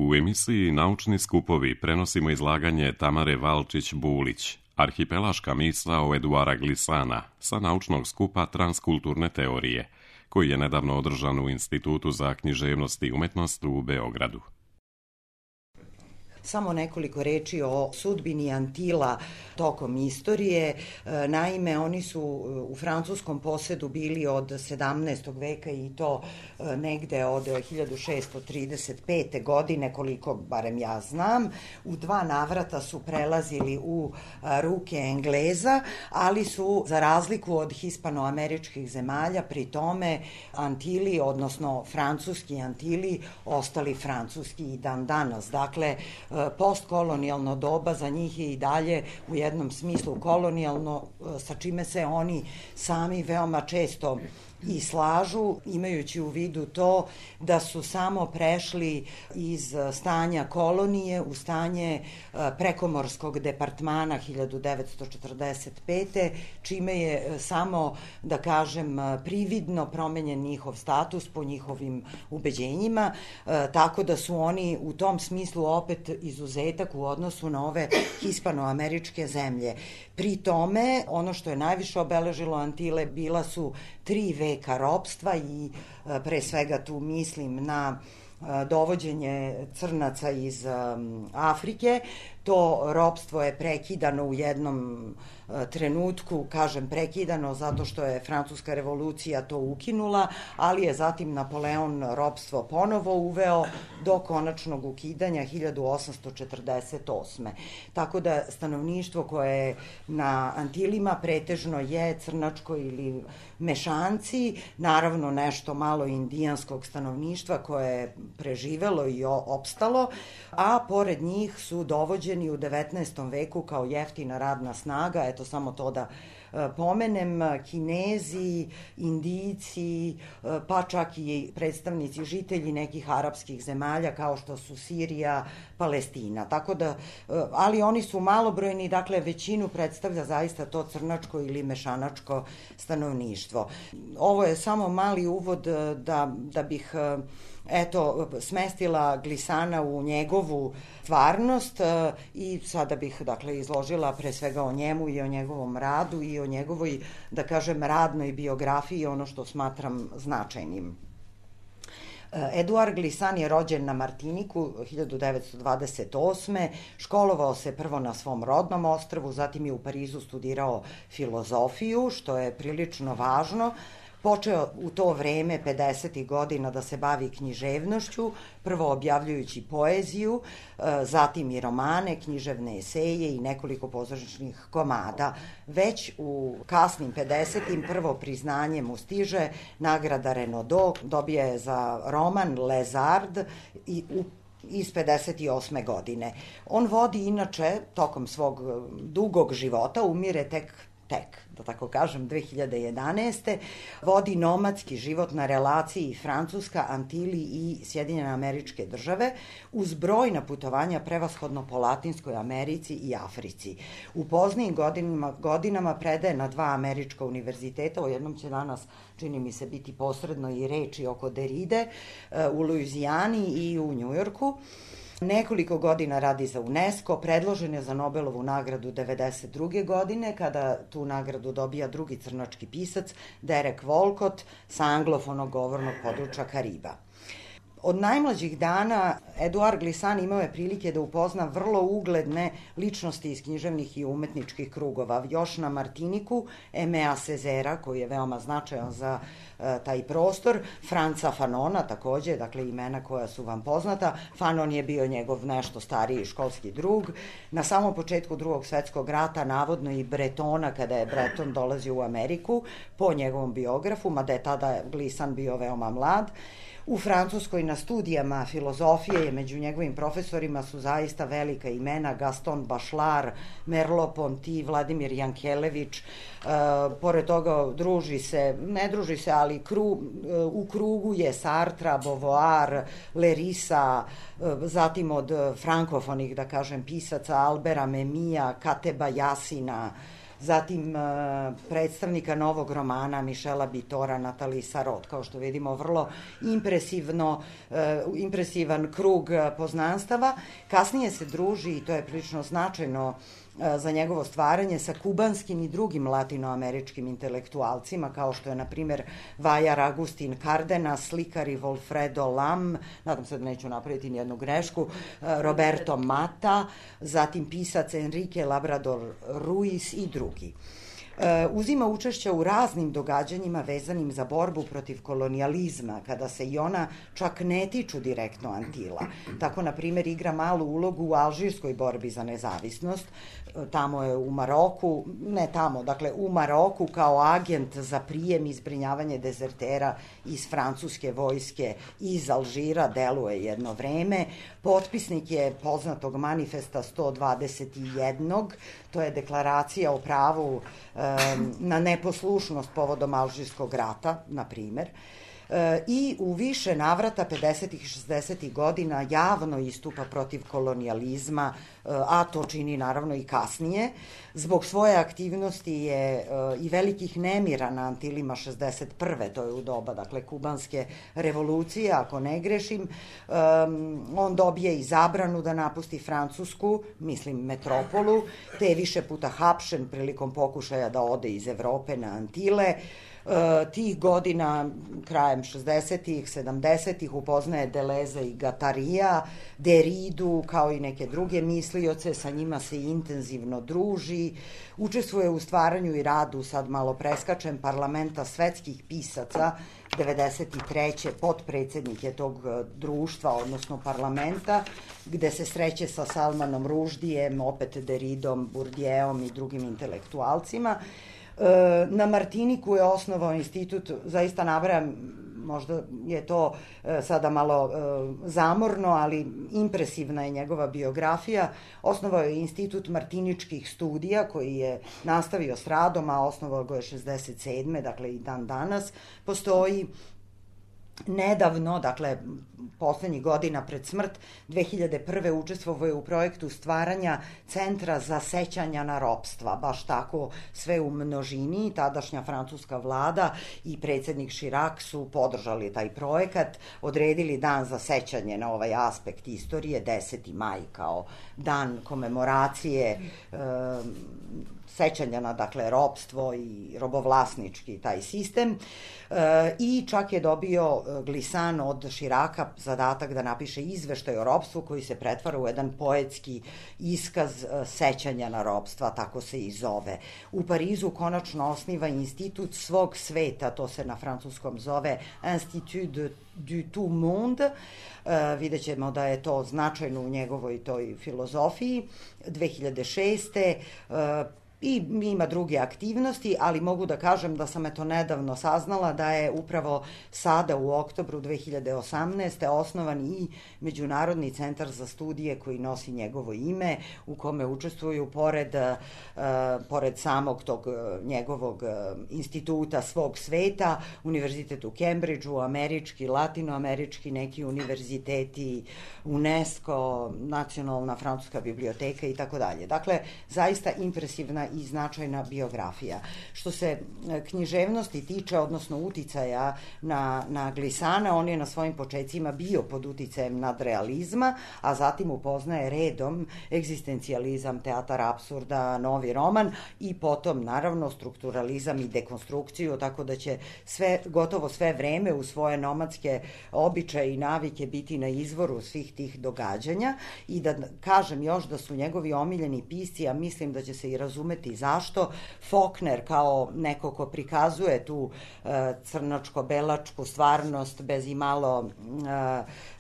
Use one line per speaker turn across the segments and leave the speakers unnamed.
U emisiji Naučni skupovi prenosimo izlaganje Tamare Valčić-Bulić, Arhipelaška misao Eduara Glissana sa naučnog skupa Transkulturne teorije, koji je nedavno održan u Institutu za književnost i umetnost u Beogradu.
Samo nekoliko reči o sudbini Antila tokom istorije. Naime, oni su u francuskom posedu bili od 17. veka i to negde od 1635. godine, koliko barem ja znam. U 2 navrata su prelazili u ruke Engleza, ali su, za razliku od hispanoameričkih zemalja, pri tome Antili, odnosno francuski Antili, ostali francuski i dan danas. Dakle, postkolonijalno doba za njih je i dalje u jednom smislu kolonijalno, sa čime se oni sami veoma često i slažu, imajući u vidu to da su samo prešli iz stanja kolonije u stanje prekomorskog departmana 1945. čime je samo, da kažem, prividno promenjen njihov status po njihovim ubeđenjima, tako da su oni u tom smislu opet izuzetak u odnosu na ove hispanoameričke zemlje. Pri tome, ono što je najviše obeležilo Antile bila su 3 veka ropstva i pre svega tu mislim na dovođenje crnaca iz Afrike. To ropstvo je prekidano u jednom trenutku, kažem prekidano zato što je Francuska revolucija to ukinula, ali je zatim Napoleon ropstvo ponovo uveo do konačnog ukidanja 1848. Tako da stanovništvo koje je na Antilima pretežno je crnačko ili mešanci, naravno nešto malo indijanskog stanovništva koje je preživelo i opstalo, a pored njih su dovođeni u 19. veku kao jeftina radna snaga, eto samo to da pomenem, Kinezi, Indijci, pa čak i predstavnici žitelji nekih arapskih zemalja kao što su Sirija, Palestina. Tako da, ali oni su malobrojni, dakle većinu predstavlja zaista to crnačko ili mešanačko stanovništvo. Ovo je samo mali uvod da bih smestila Glissana u njegovu stvarnost i sada bih, dakle, izložila pre svega o njemu i o njegovom radu i o njegovoj, da kažem, radnoj biografiji, ono što smatram značajnim. Eduard Glissan je rođen na Martiniku 1928. Školovao se prvo na svom rodnom ostrvu, zatim je u Parizu studirao filozofiju, što je prilično važno. Počeo u to vreme 50. godina da se bavi književnošću, prvo objavljujući poeziju, zatim i romane, književne eseje i nekoliko pozorišnih komada. Već u kasnim 50. prvo priznanje mu stiže, nagrada Renaudot, dobija je za roman Les Arts iz 58. godine. On vodi inače, tokom svog dugog života, umire tek, da tako kažem, 2011. vodi nomadski život na relaciji Francuska, Antili i Sjedinjene Američke Države uz brojna putovanja prevashodno po Latinskoj Americi i Africi. U poznijim godinama predaje na 2 američka univerziteta, o jednom će danas, čini mi se, biti posredno i reči oko Derride, u Luizijani i u Njujorku. Nekoliko godina radi za UNESCO, predložen je za Nobelovu nagradu 1992. godine, kada tu nagradu dobija drugi crnački pisac, Derek Walcott, sa anglofonog govornog područja Kariba. Od najmlađih dana Eduard Glissan imao je prilike da upozna vrlo ugledne ličnosti iz književnih i umetničkih krugova. Još na Martiniku, Aimé Césaire, koji je veoma značajan za taj prostor, Franca Fanona takođe, dakle imena koja su vam poznata. Fanon je bio njegov nešto stariji školski drug. Na samom početku Drugog svetskog rata navodno i Bretona, kada je Breton dolazio u Ameriku, po njegovom biografu, mada je tada Glissan bio veoma mlad. U Francuskoj na studijama filozofije je među njegovim profesorima su zaista velika imena, Gaston Bachelard, Merleau-Ponty, Vladimir Jankelević. Pored toga ne druži se, ali u krugu je Sartre, Beauvoir, Lerisa, zatim od frankofonih, da kažem, pisaca Albera Memija, Kateba Jasina, zatim predstavnika novog romana Michela Bitora, Nathalie Sarraute. Kao što vidimo, vrlo impresivan krug poznanstava. Kasnije se druži, i to je prilično značajno za njegovo stvaranje, sa kubanskim i drugim latinoameričkim intelektualcima, kao što je, na primjer, Vajar Agustin Cardenas, slikari Volfredo Lam, nadam se da neću napraviti nijednu grešku, Roberto Mata, zatim pisac Enrique Labrador Ruiz i drugi. Uzima učešća u raznim događanjima vezanim za borbu protiv kolonijalizma, kada se i ona čak ne tiču direktno Antila. Tako, na primjer, igra malu ulogu u alžirskoj borbi za nezavisnost. Tamo je u Maroku, u Maroku kao agent za prijem i zbrinjavanje dezertera iz francuske vojske iz Alžira deluje jedno vreme. Potpisnik je poznatog manifesta 121. To je deklaracija o pravu na neposlušnost povodom Alžirskog rata, na primer. I u više navrata 50. i 60. godina javno istupa protiv kolonijalizma, a to čini naravno i kasnije. Zbog svoje aktivnosti je i velikih nemira na Antilima 61. To je u doba, dakle, kubanske revolucije, ako ne grešim. On dobije i zabranu da napusti Francusku, mislim metropolu, te je više puta hapšen prilikom pokušaja da ode iz Evrope na Antile. Tih godina, krajem 60-ih, 70-ih, upoznaje Deleze i Gatarija, Deridu, kao i neke druge mislioce, sa njima se intenzivno druži, učestvuje u stvaranju i radu, sad malo preskačem, parlamenta svetskih pisaca, 93. potpredsednik je tog društva, odnosno parlamenta, gde se sreće sa Salmanom Ruždijem, opet Deridom, Bourdieuom i drugim intelektualcima. Na Martiniku je osnovao institut, zaista nabrajam, možda je to sada malo zamorno, ali impresivna je njegova biografija. Osnovao je institut martiničkih studija koji je nastavio s radom, a osnovao ga je 67. Dakle i dan danas postoji. Nedavno, dakle, poslednjih godina pred smrt, 2001. učestvovao je u projektu stvaranja Centra za sećanja na ropstva, baš tako, sve u množini. Tadašnja francuska vlada i predsednik Chirac su podržali taj projekat, odredili dan za sećanje na ovaj aspekt istorije, 10. maj kao dan komemoracije sećanja na, dakle, ropstvo i robovlasnički taj sistem, i čak je dobio Glissant od Chiraca zadatak da napiše izveštaj o ropstvu koji se pretvara u jedan poetski iskaz sećanja na ropstva, tako se i zove. U Parizu konačno osniva institut svog sveta, to se na francuskom zove Institut du tout monde. Vidjet ćemo da je to značajno u njegovoj toj filozofiji. 2006. I ima druge aktivnosti, ali mogu da kažem da sam nedavno saznala da je upravo sada u oktobru 2018. osnovan i Međunarodni centar za studije koji nosi njegovo ime, u kome učestvuju pored samog tog njegovog instituta svog sveta, univerzitet u Cambridgeu, američki, latinoamerički, neki univerziteti, UNESCO, Nacionalna francuska biblioteka i tako dalje. Dakle, zaista impresivna i značajna biografija. Što se književnosti tiče, odnosno uticaja na Glissana, on je na svojim počecima bio pod uticajem nadrealizma, a zatim upoznaje redom egzistencijalizam, teatar apsurda, novi roman i potom, naravno, strukturalizam i dekonstrukciju, tako da će gotovo sve vreme u svoje nomadske običaje i navike biti na izvoru svih tih događanja. I da kažem još da su njegovi omiljeni pisci, a mislim da će se i razumeti zašto, Faulkner kao neko ko prikazuje tu crnočko-belačku stvarnost bez i malo,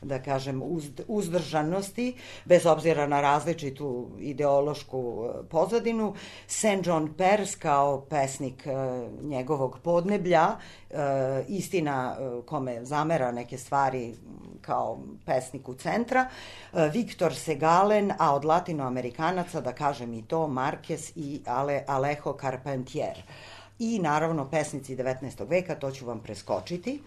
da kažem, uzdržanosti, bez obzira na različitu ideološku pozadinu, St. John Perse kao pesnik njegovog podneblja, istina kome zamera neke stvari kao pesniku centra, Viktor Segalen, a od latinoamerikanaca, da kažem i to, Marquez i Alejo Carpentier. I naravno pesnici 19. veka, to ću vam preskočiti.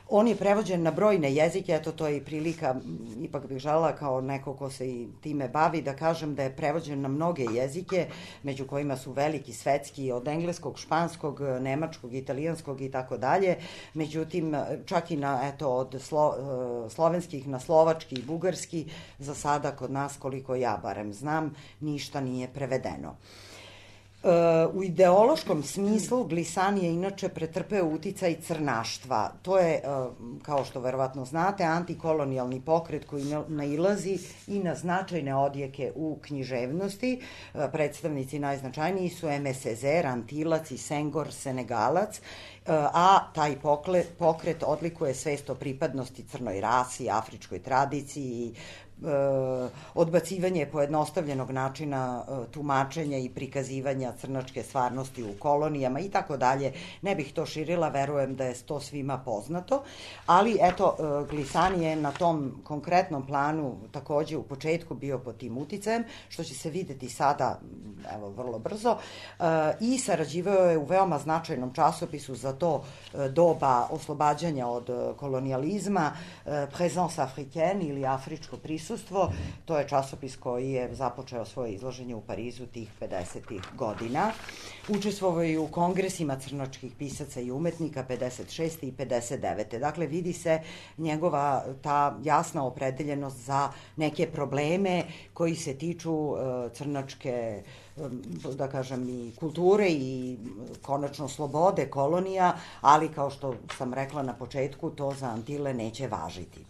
On je prevođen na brojne jezike, eto to je i prilika, ipak bih želela kao neko ko se i time bavi da kažem da je prevođen na mnoge jezike, među kojima su veliki svetski, od engleskog, španskog, nemačkog, italijanskog i tako dalje. Međutim, čak i na, eto, od slovenskih na slovački i bugarski, za sada kod nas, koliko ja barem znam, ništa nije prevedeno. U ideološkom smislu Glissane je inače pretrpeo uticaj crnaštva. To je, kao što verovatno znate, antikolonijalni pokret koji nailazi i na značajne odjeke u književnosti. Predstavnici najznačajniji su Aimé Césaire, Antilac i Senghor, Senegalac, a taj pokret odlikuje svest o pripadnosti crnoj rasi, afričkoj tradiciji, odbacivanje pojednostavljenog načina tumačenja i prikazivanja crnačke stvarnosti u kolonijama i tako dalje. Ne bih to širila, verujem da je to svima poznato, ali eto, Glissane je na tom konkretnom planu takođe u početku bio pod tim uticajem, što će se videti sada, evo, vrlo brzo, i sarađivao je u veoma značajnom časopisu za to doba oslobađanja od kolonijalizma, Présence africaine ili afričko prisustvo. To je časopis koji je započeo svoje izloženje u Parizu tih 50. godina. Učestvovao je u kongresima crnočkih pisaca i umetnika 56. i 59. Dakle, vidi se njegova ta jasna opredeljenost za neke probleme koji se tiču crnočke, da kažem, i kulture i konačno slobode kolonija, ali kao što sam rekla na početku, to za Antile neće važiti.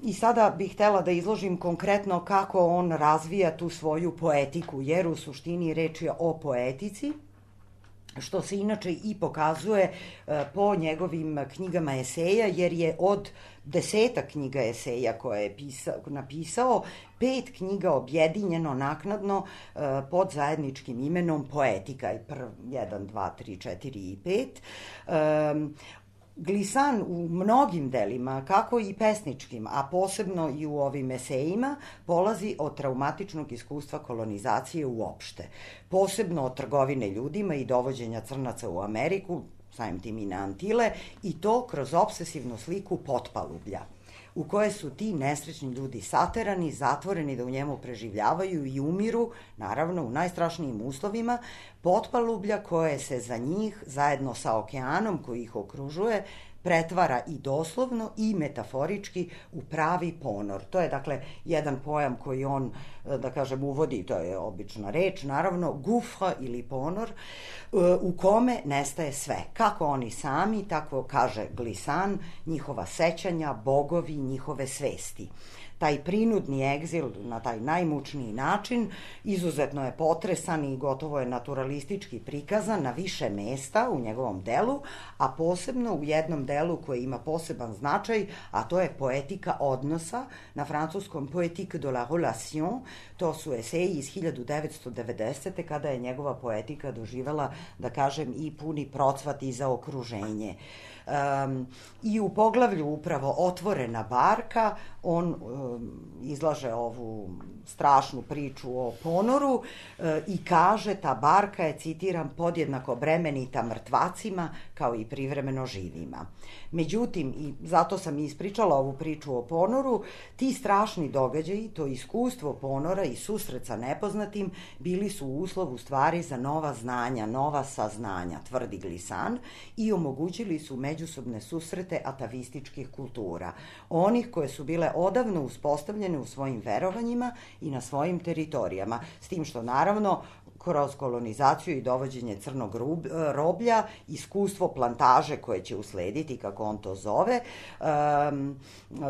I sada bih htela da izložim konkretno kako on razvija tu svoju poetiku, jer u suštini reč je o poetici, što se inače i pokazuje po njegovim knjigama eseja, jer je od 10 knjiga eseja koje je napisao, 5 knjiga objedinjeno naknadno pod zajedničkim imenom Poetika, 1, 2, 3, 4 i 5. Glissane u mnogim delima, kako i pesničkim, a posebno i u ovim esejima, polazi od traumatičnog iskustva kolonizacije uopšte. Posebno od trgovine ljudima i dovođenja crnaca u Ameriku, samim tim i na Antile, i to kroz obsesivnu sliku potpalublja, u koje su ti nesrećni ljudi saterani, zatvoreni da u njemu preživljavaju i umiru, naravno u najstrašnijim uslovima, potpalublja koje se za njih, zajedno sa okeanom koji ih okružuje, pretvara i doslovno i metaforički u pravi ponor. To je, dakle, jedan pojam koji on, da kažem, uvodi, to je obična reč, naravno, gouffre ili ponor, u kome nestaje sve. Kako oni sami, tako kaže Glissane, njihova sećanja, bogovi, njihove svesti. Taj prinudni egzil na taj najmučniji način izuzetno je potresan i gotovo je naturalistički prikazan na više mesta u njegovom delu, a posebno u jednom delu koji ima poseban značaj, a to je poetika odnosa, na francuskom Poétique de la relation. To su eseji iz 1990. kada je njegova poetika doživela, da kažem, i puni procvat i za okruženje. I u poglavlju upravo Otvorena barka on izlaže ovu strašnu priču o ponoru i kaže, ta barka je, citiram, podjednako bremenita mrtvacima kao i privremeno živima. Međutim, i zato sam ispričala ovu priču o ponoru, ti strašni događaji, to iskustvo ponora i susret sa nepoznatim bili su uslov u stvari za nova znanja, nova saznanja, tvrdi Glissane, i omogućili su međusobne susrete atavističkih kultura, onih koje su bile odavno uspostavljene u svojim verovanjima i na svojim teritorijama, s tim što naravno kroz kolonizaciju i dovođenje crnog roblja, iskustvo plantaže koje će uslediti, kako on to zove,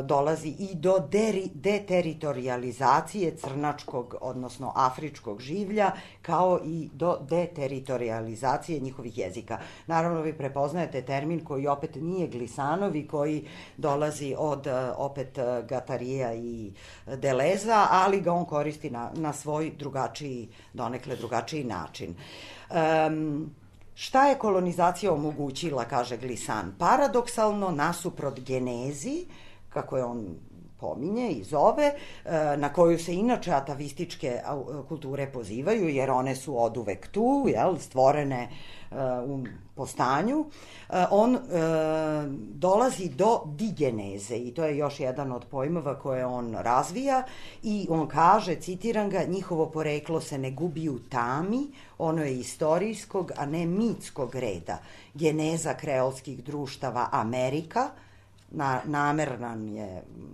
dolazi i do deteritorijalizacije crnačkog, odnosno afričkog življa, kao i do deteritorijalizacije njihovih jezika. Naravno, vi prepoznajete termin koji opet nije Glissanovi, koji dolazi od opet Gatarija i Deleza, ali ga on koristi na svoj drugačiji, donekle drugačiji način. Šta je kolonizacija omogućila, kaže Glissane? Paradoksalno, nasuprot genezi, kako je on pominje i zove, na koju se inače atavističke kulture pozivaju, jer one su oduvek tu, stvorene po stanju, on dolazi do digeneze i to je još jedan od pojmova koje on razvija i on kaže, citiram ga, njihovo poreklo se ne gubi u tami, ono je istorijskog, a ne mitskog reda. Geneza kreolskih društava Amerika,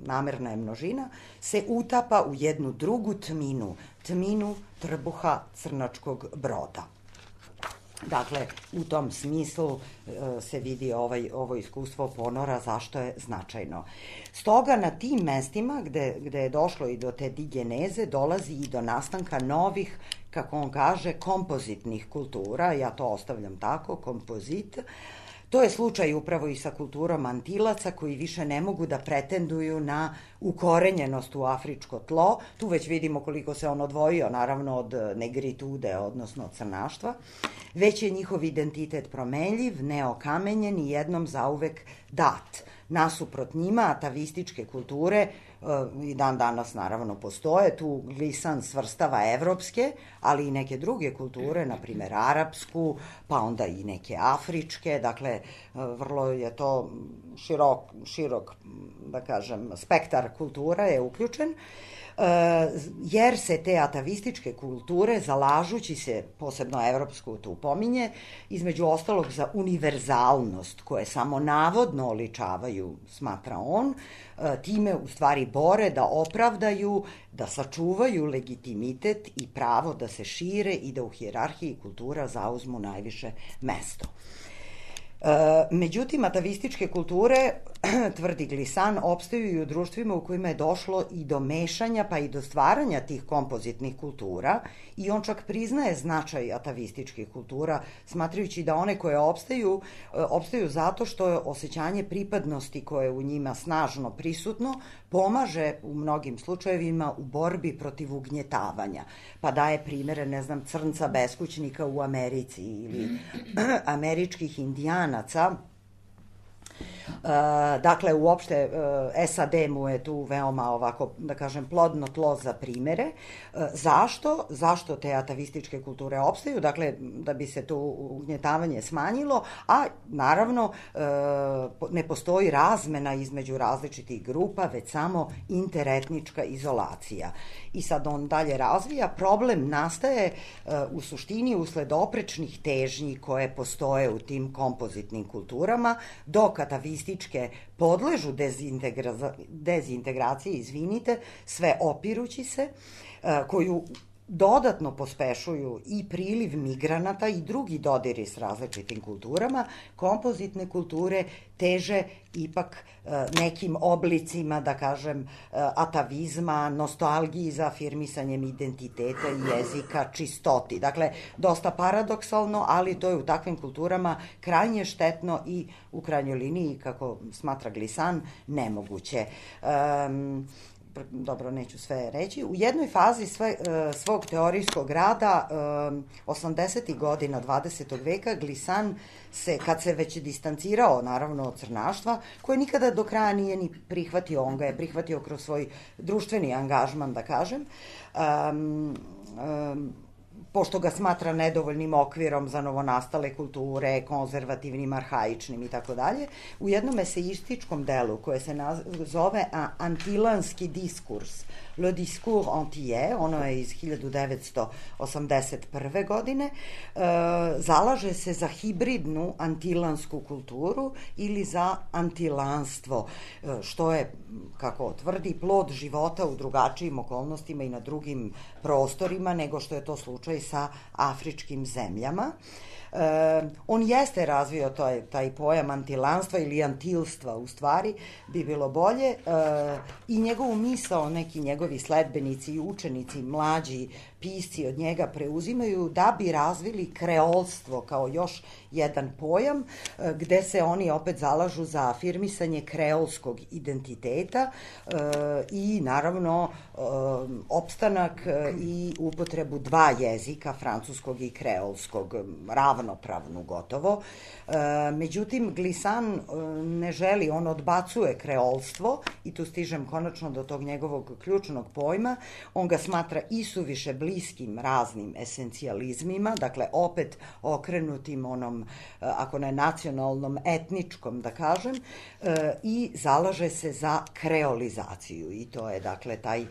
namerna je množina, se utapa u jednu drugu tminu trbuha crnačkog broda. Dakle, u tom smislu se vidi ovo iskustvo ponora zašto je značajno. Stoga na tim mestima gde je došlo i do te digeneze dolazi i do nastanka novih, kako on kaže, kompozitnih kultura, ja to ostavljam tako, kompozit. To je slučaj upravo i sa kulturom Antilaca koji više ne mogu da pretenduju na ukorenjenost u afričko tlo. Tu već vidimo koliko se on odvojio, naravno, od negritude, odnosno od crnaštva. Već je njihov identitet promenljiv, neokamenjen i jednom zauvek dat. Nasuprot njima, atavističke kulture i dan danas naravno postoje, tu Glissant svrstava evropske, ali i neke druge kulture, na primjer arapsku, pa onda i neke afričke, dakle vrlo je to širok, da kažem, spektar kultura je uključen, jer se te atavističke kulture, zalažući se, posebno evropsku tu pominje, između ostalog za univerzalnost, koje samo navodno oličavaju, smatra on, time u stvari bore da opravdaju, da sačuvaju legitimitet i pravo da se šire i da u hijerarhiji kultura zauzmu najviše mesto. Međutim, atavističke kulture, tvrdi Glissant, opstaju i u društvima u kojima je došlo i do mešanja pa i do stvaranja tih kompozitnih kultura i on čak priznaje značaj atavističkih kultura, smatrajući da one koje opstaju zato što je osjećanje pripadnosti koje je u njima snažno prisutno pomaže u mnogim slučajevima u borbi protiv ugnjetavanja. Pa daje primere, ne znam, crnca beskućnika u Americi ili američkih indijanaca. Dakle, uopšte SAD mu je tu veoma ovako, da kažem, plodno tlo za primere. Zašto te atavističke kulture opstaju? Dakle, da bi se to ugnjetavanje smanjilo, a naravno ne postoji razmena između različitih grupa, već samo interetnička izolacija. I sad on dalje razvija, problem nastaje u suštini usled oprečnih težnji koje postoje u tim kompozitnim kulturama, dok atavističke podležu dezintegraciji, sve opirući se, koju dodatno pospešuju i priliv migranata i drugi dodiri s različitim kulturama, kompozitne kulture teže ipak nekim oblicima, da kažem, atavizma, nostalgiji za afirmisanjem identiteta i jezika, čistoti. Dakle, dosta paradoksalno, ali to je u takvim kulturama krajnje štetno i u krajnjoj liniji, kako smatra Glissant, nemoguće. Dobro, neću sve reći. U jednoj fazi svog teorijskog rada 80. godina 20. veka Glissant kad se već distancirao naravno od crnaštva, koje nikada do kraja nije ni prihvatio, on ga je prihvatio kroz svoj društveni angažman, da kažem, pošto ga smatra nedovoljnim okvirom za novonastale kulture, konzervativnim, arhaičnim i tako dalje, u jednom eseističkom delu koje se zove Antilanski diskurs, Le discours antillais, ono je iz 1981. godine, zalaže se za hibridnu antilansku kulturu ili za antilanstvo, što je, kako tvrdi, plod života u drugačijim okolnostima i na drugim prostorima nego što je to slučaj sa afričkim zemljama. On jeste razvio taj pojam antilanstva ili antilstva, u stvari bi bilo bolje, i njegovu misao neki njegovi sledbenici i učenici, mlađi pisci od njega preuzimaju da bi razvili kreolstvo kao još jedan pojam, gde se oni opet zalažu za afirmisanje kreolskog identiteta i naravno opstanak i upotrebu dva jezika, francuskog i kreolskog, ravnopravnu gotovo. Međutim, Glissant ne želi, on odbacuje kreolstvo i tu stižem konačno do tog njegovog ključnog pojma. On ga smatra isuviše bliskim raznim esencijalizmima, dakle opet okrenutim onom, ako ne nacionalnom, etničkom, da kažem, i zalaže se za kreolizaciju i to je dakle taj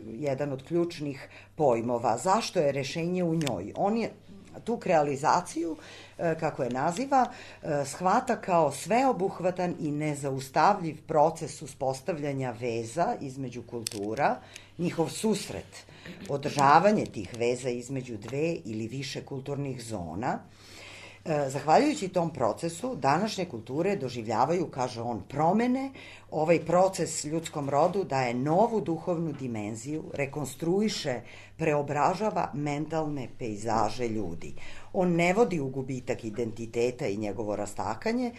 jedan od ključnih pojmova. Zašto je rešenje u njoj? On je tu kreolizaciju, kako je naziva, shvata kao sveobuhvatan i nezaustavljiv proces uspostavljanja veza između kultura, njihov susret, održavanje tih veza između dve ili više kulturnih zona. Zahvaljujući tom procesu, današnje kulture doživljavaju, kaže on, promene. Ovaj proces ljudskom rodu daje novu duhovnu dimenziju, rekonstruiše, preobražava mentalne pejzaže ljudi. On ne vodi u gubitak identiteta i njegovo rastakanje,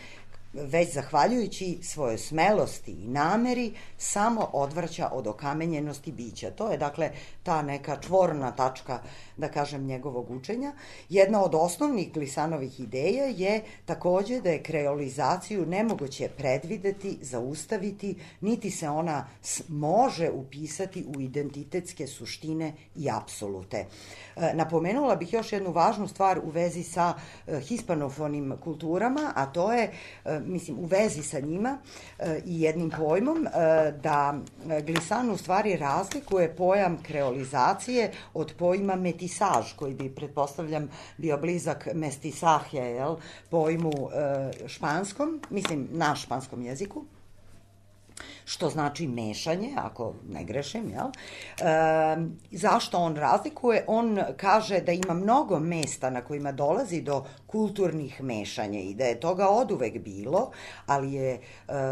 već zahvaljujući svojoj smelosti i nameri samo odvraća od okamenjenosti bića. To je dakle ta neka čvorna tačka, da kažem, njegovog učenja. Jedna od osnovnih Glissanovih ideja je takođe da je kreolizaciju nemoguće predvideti, zaustaviti, niti se ona može upisati u identitetske suštine i apsolute. Napomenula bih još jednu važnu stvar u vezi sa hispanofonim kulturama, a to je, u vezi sa njima i jednim pojmom, da Glissant u stvari razlikuje pojam kreolizacije od pojma metisaž, koji bi, pretpostavljam, bio blizak mestisahje, pojmu španskom, na španskom jeziku, što znači mešanje, ako ne grešim, jel? Zašto on razlikuje? On kaže da ima mnogo mesta na kojima dolazi do kulturnih mešanja i da je toga oduvek bilo, ali je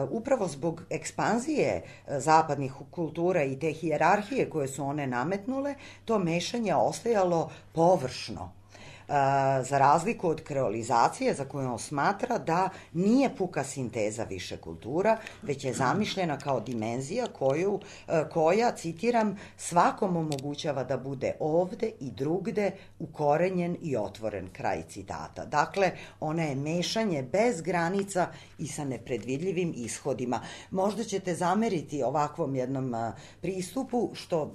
upravo zbog ekspanzije zapadnih kultura i te hijerarhije koje su one nametnule, to mešanje ostajalo površno. Za razliku od kreolizacije, za koju on smatra da nije puka sinteza više kultura, već je zamišljena kao dimenzija koja, citiram, svakom omogućava da bude ovde i drugde ukorenjen i otvoren, kraj citata. Dakle, ona je mešanje bez granica i sa nepredvidljivim ishodima. Možda ćete zameriti ovakvom jednom pristupu, što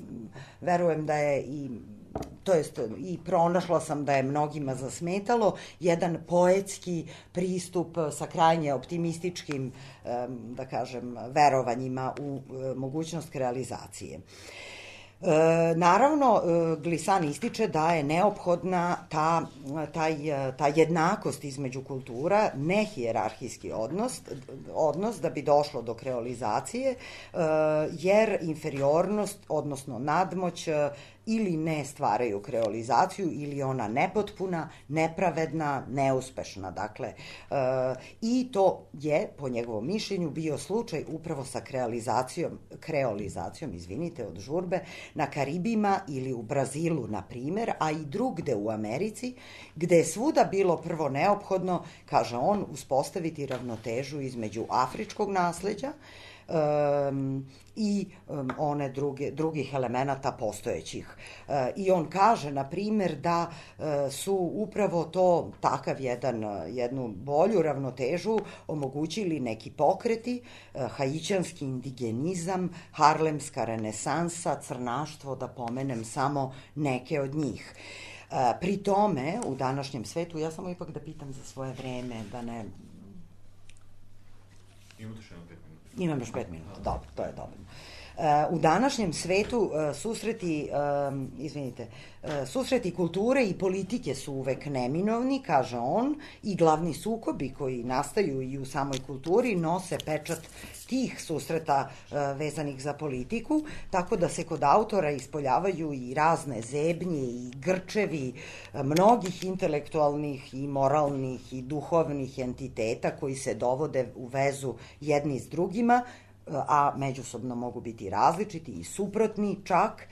verujem da je i pronašla sam da je mnogima zasmetalo, jedan poetski pristup sa krajnje optimističkim, da kažem, verovanjima u mogućnost realizacije. Naravno, Glissant ističe da je neophodna ta jednakost između kultura, ne hijerarhijski odnos da bi došlo do kreolizacije, jer inferiornost, odnosno nadmoć, ili ne stvaraju kreolizaciju, ili ona nepotpuna, nepravedna, neuspešna. Dakle, i to je, po njegovom mišljenju, bio slučaj upravo sa kreolizacijom, od žurbe, na Karibima ili u Brazilu, na primer, a i drugde u Americi, gde je svuda bilo prvo neophodno, kaže on, uspostaviti ravnotežu između afričkog nasleđa i one drugih elemenata postojećih. I on kaže, na primjer, da su upravo to, jednu bolju ravnotežu omogućili neki pokreti, haićanski indigenizam, harlemska renesansa, crnaštvo, da pomenem samo neke od njih. Pri tome, u današnjem svetu, ja samo ipak da pitam za svoje vreme, da ne...
Imate još jedno 5 minuta.
Imam još 5 minuta, dobro, to je dobro. U današnjem svetu susreti kulture i politike su uvek neminovni, kaže on, i glavni sukobi koji nastaju i u samoj kulturi nose pečat tih susreta vezanih za politiku, tako da se kod autora ispoljavaju i razne zebnje i grčevi mnogih intelektualnih i moralnih i duhovnih entiteta koji se dovode u vezu jedni s drugima, a međusobno mogu biti različiti i suprotni čak,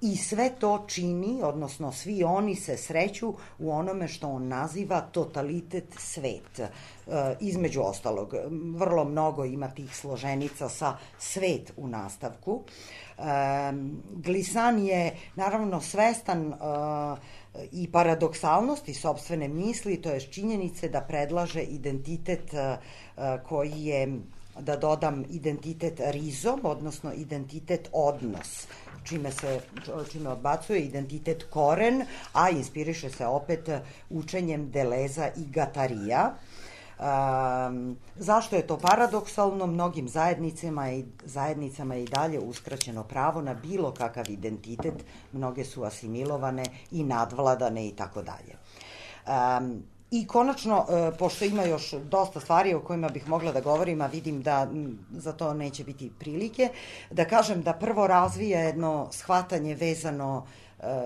I sve to čini, odnosno svi oni se sreću u onome što on naziva totalitet svet. Između ostalog, vrlo mnogo ima tih složenica sa svet u nastavku. Glissant je naravno svestan i paradoksalnosti sopstvene misli, to je činjenice da predlaže identitet koji je, da dodam, identitet rizom, odnosno identitet odnos, čime odbacuje identitet koren, a inspiriše se opet učenjem Deleza i Gatarija. Zašto je to paradoksalno? Mnogim zajednicama je i dalje uskraćeno pravo na bilo kakav identitet, mnoge su asimilovane i nadvladane i tako dalje. I konačno, pošto ima još dosta stvari o kojima bih mogla da govorim, a vidim da za to neće biti prilike, da kažem da prvo razvija jedno shvatanje vezano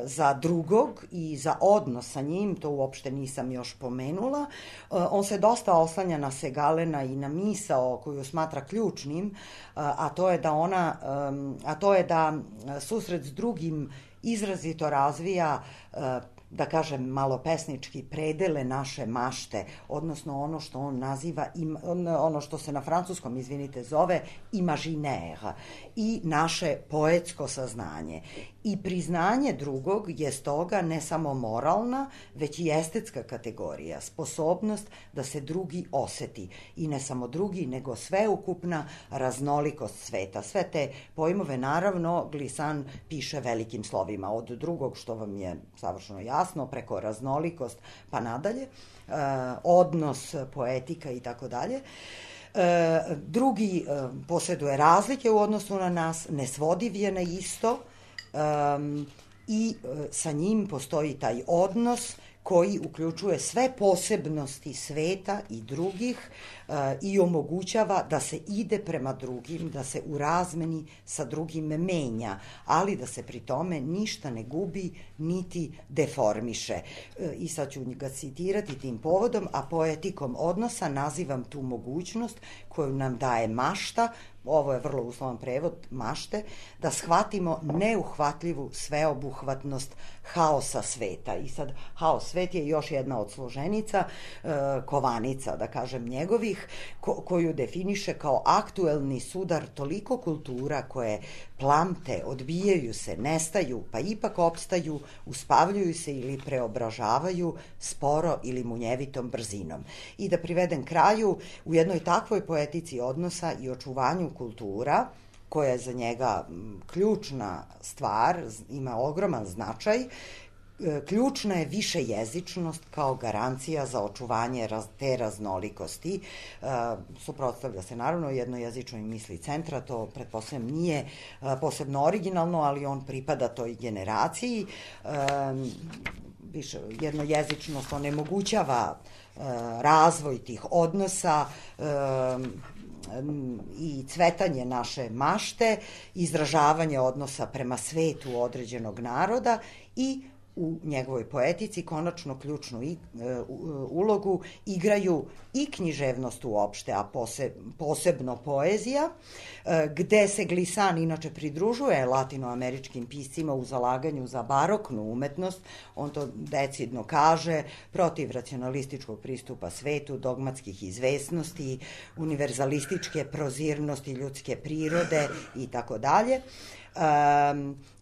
za drugog i za odnos sa njim, to uopšte nisam još pomenula. On se dosta oslanja na Segalena i na misao koju smatra ključnim, a to je da susret s drugim izrazito razvija, da kažem malo pesnički, predele naše mašte, odnosno ono što on naziva, ono što se na francuskom, zove imaginaire, i naše poetsko saznanje. I priznanje drugog je stoga ne samo moralna, već i estetska kategorija, sposobnost da se drugi oseti. I ne samo drugi, nego sveukupna raznolikost sveta. Sve te pojmove, naravno, Glissant piše velikim slovima, od drugog, što vam je savršeno jasno, preko raznolikost pa nadalje, odnos, poetika i tako dalje. Drugi posjeduje razlike u odnosu na nas, nesvodiv je na isto, i sa njim postoji taj odnos koji uključuje sve posebnosti sveta i drugih i omogućava da se ide prema drugim, da se u razmeni sa drugim menja, ali da se pri tome ništa ne gubi niti deformiše. I sad ću ga citirati tim povodom, a poetikom odnosa nazivam tu mogućnost koju nam daje mašta, ovo je vrlo uslovan prevod, mašte, da shvatimo neuhvatljivu sveobuhvatnost haosa sveta. I sad, haos svet je još jedna od složenica, kovanica, da kažem, njegovih, koju definiše kao aktuelni sudar toliko kultura koje plamte, odbijaju se, nestaju, pa ipak opstaju, uspavljuju se ili preobražavaju sporo ili munjevitom brzinom. I da privedem kraju, u jednoj takvoj poetici odnosa i očuvanju kultura, koja je za njega ključna stvar, ima ogroman značaj, ključna je višejezičnost kao garancija za očuvanje te raznolikosti. Suprotstavlja se naravno jednojezičnoj misli centra, to pretpostavljam nije posebno originalno, ali on pripada toj generaciji. Jednojezičnost onemogućava razvoj tih odnosa i cvetanje naše mašte, izražavanje odnosa prema svetu određenog naroda i u njegovoj poetici konačno ključnu ulogu igraju i književnost uopšte, a posebno poezija, gde se Glissant inače pridružuje latinoameričkim piscima u zalaganju za baroknu umetnost. On to decidno kaže, protiv racionalističkog pristupa svetu, dogmatskih izvesnosti, univerzalističke prozirnosti ljudske prirode i tako dalje.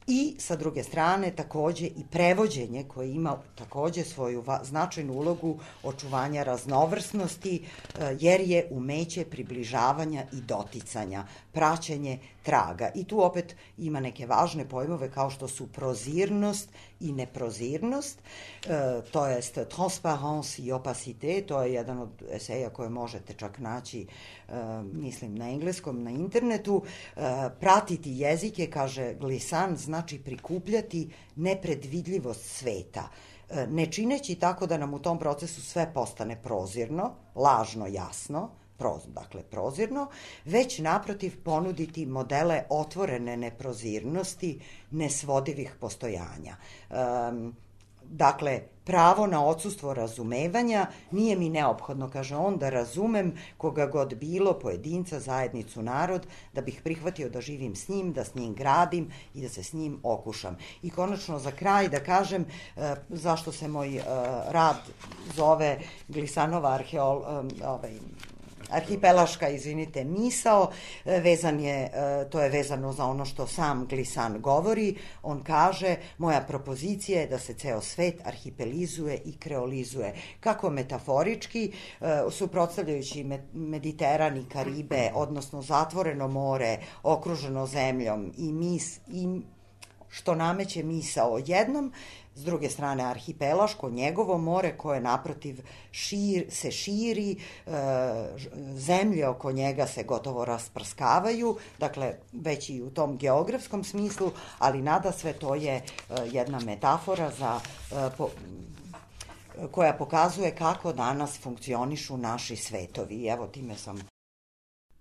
I sa druge strane takođe i prevođenje koje ima takođe svoju značajnu ulogu očuvanja raznovrsnosti, jer je umeće približavanja i doticanja, praćenje traga. I tu opet ima neke važne pojmove kao što su prozirnost i neprozirnost, to jest transparence i opacité, to je jedan od eseja koje možete čak naći, mislim, na engleskom, na internetu. Pratiti jezike, kaže Glissant, znači prikupljati nepredvidljivost sveta, ne čineći tako da nam u tom procesu sve postane prozirno, lažno jasno, dakle prozirno, već naprotiv ponuditi modele otvorene neprozirnosti, nesvodivih postojanja. Dakle, pravo na odsustvo razumevanja nije mi neophodno, kaže on, da razumem koga god bilo, pojedinca, zajednicu, narod, da bih prihvatio da živim s njim, da s njim gradim i da se s njim okušam. I konačno za kraj da kažem zašto se moj rad zove Glisanova arhipelaška, misao, to je vezano za ono što sam Glisan govori. On kaže, moja propozicija je da se ceo svet arhipelizuje i kreolizuje. Kako metaforički, suprotstavljajući Mediteran i Karibe, odnosno zatvoreno more, okruženo zemljom i što nameće misao o jednom, s druge strane arhipelaško, njegovo more koje naprotiv se širi, zemlje oko njega se gotovo rasprskavaju, dakle već i u tom geografskom smislu, ali nadasve to je jedna metafora koja pokazuje kako danas funkcionišu naši svetovi. Evo time sam.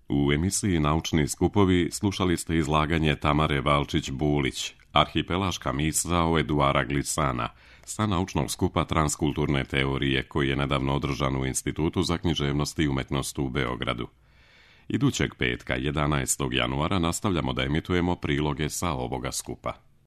U emisiji Naučni skupovi slušali ste izlaganje Tamare Valčić-Bulić, Arhipelaška misao Eduara Glisana, sa naučnog skupa transkulturne teorije koji je nedavno održan u Institutu za književnost i umetnost u Beogradu. Idućeg petka, 11. januara, nastavljamo da emitujemo priloge sa ovoga skupa.